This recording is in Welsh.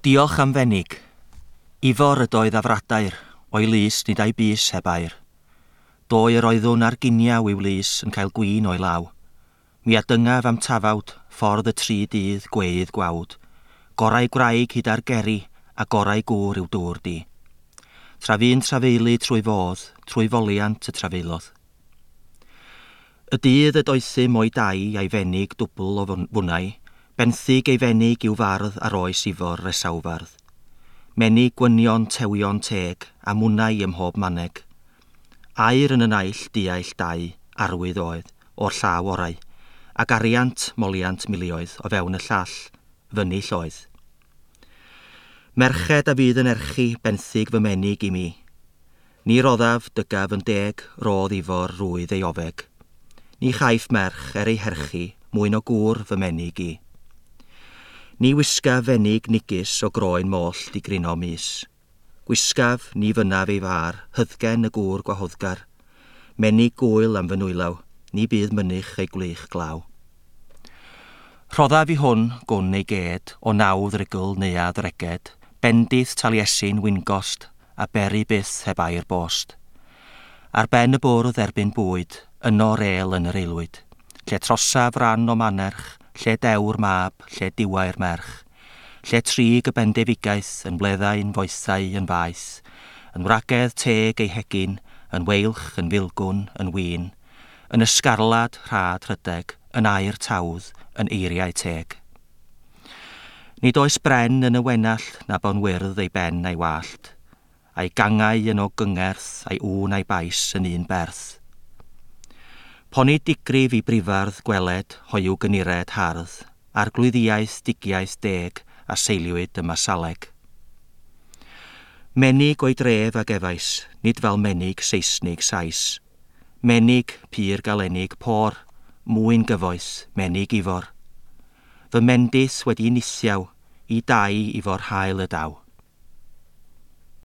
Diolch am fenig. Ifor ydoedd afradair, o'i lys nid a'i bys heb air. Doe yr oeddwn ar giniaw i'w lys yn cael gwin o'i law. Mi a dyngaf am tafawd, ffordd y tri dydd gweidd gwawd. Gorau gwraig hyd ar geri, a gorau gŵr i'w dŵr di. Tra fu'n trafeulu trwy fodd, trwy foliant y trafeilodd. Y dydd y doethum o'i dai a'i fenig dwbl o fwnnau, Benthyg ei fenig i'w fardd ar oes Ifor Resawfardd. Menig gwynion tewion teg, a mwnau ym mhob maneg. Aur yn y naill, diaill dau, arwydd oedd, o'r llaw orau, ac ariant, moliant milioedd o fewn y llall, fyny lloedd. Merched a fydd yn erchi benthyg fy menig i mi. Ni roddaf, dygaf yn deg, rodd Ifor rwydd ei ofeg. Ni chaiff merch er ei herchi mwyn o gŵr fy menig i. Ni wisgaf fenig nigus o groen moll digrino mis. Gwisgaf, ni fynnaf ei far, hyddgen y gŵr gwahoddgar. Menig gwyl am fy nwylaw, ni bydd mynych ei gwlych glaw. Rhoddaf i hwn gwn ei ged, o nawdd rugl neuadd reged, bendith Taliesin wingost, a beri byth heb air bost. Ar ben y bwrdd erbyn bwyd, yno rêl yn yr aelwyd, lle trosaf ran o manerch, lle dewr mab, lle diwair merch, lle trig y bendefigaeth yn bleddau'n foethau yn faeth, yn wragedd teg ei hegin, yn weilch, yn filgwn, yn win, yn ysgarlad rhad rhydeg, yn air tawdd, yn eiriau teg. Nid oes bren yn y wenallt na bon wyrdd ei ben a'i wallt, a'i gangau yn o gyngerth, a'i ŵn a'i bais yn un berth. Poni digrif i brifardd gweled hoyw gynired hardd, arglwyddiaeth digiaeth deg a seiliwyd y masaleg. Menig o'i dref a gefais, nid fel menig Seisnig Sais. Menig, pur galenig, por, mwyn gyfoes, menig ifor. Fy mendith wedi nithiaw, i dai ifor hael y daw.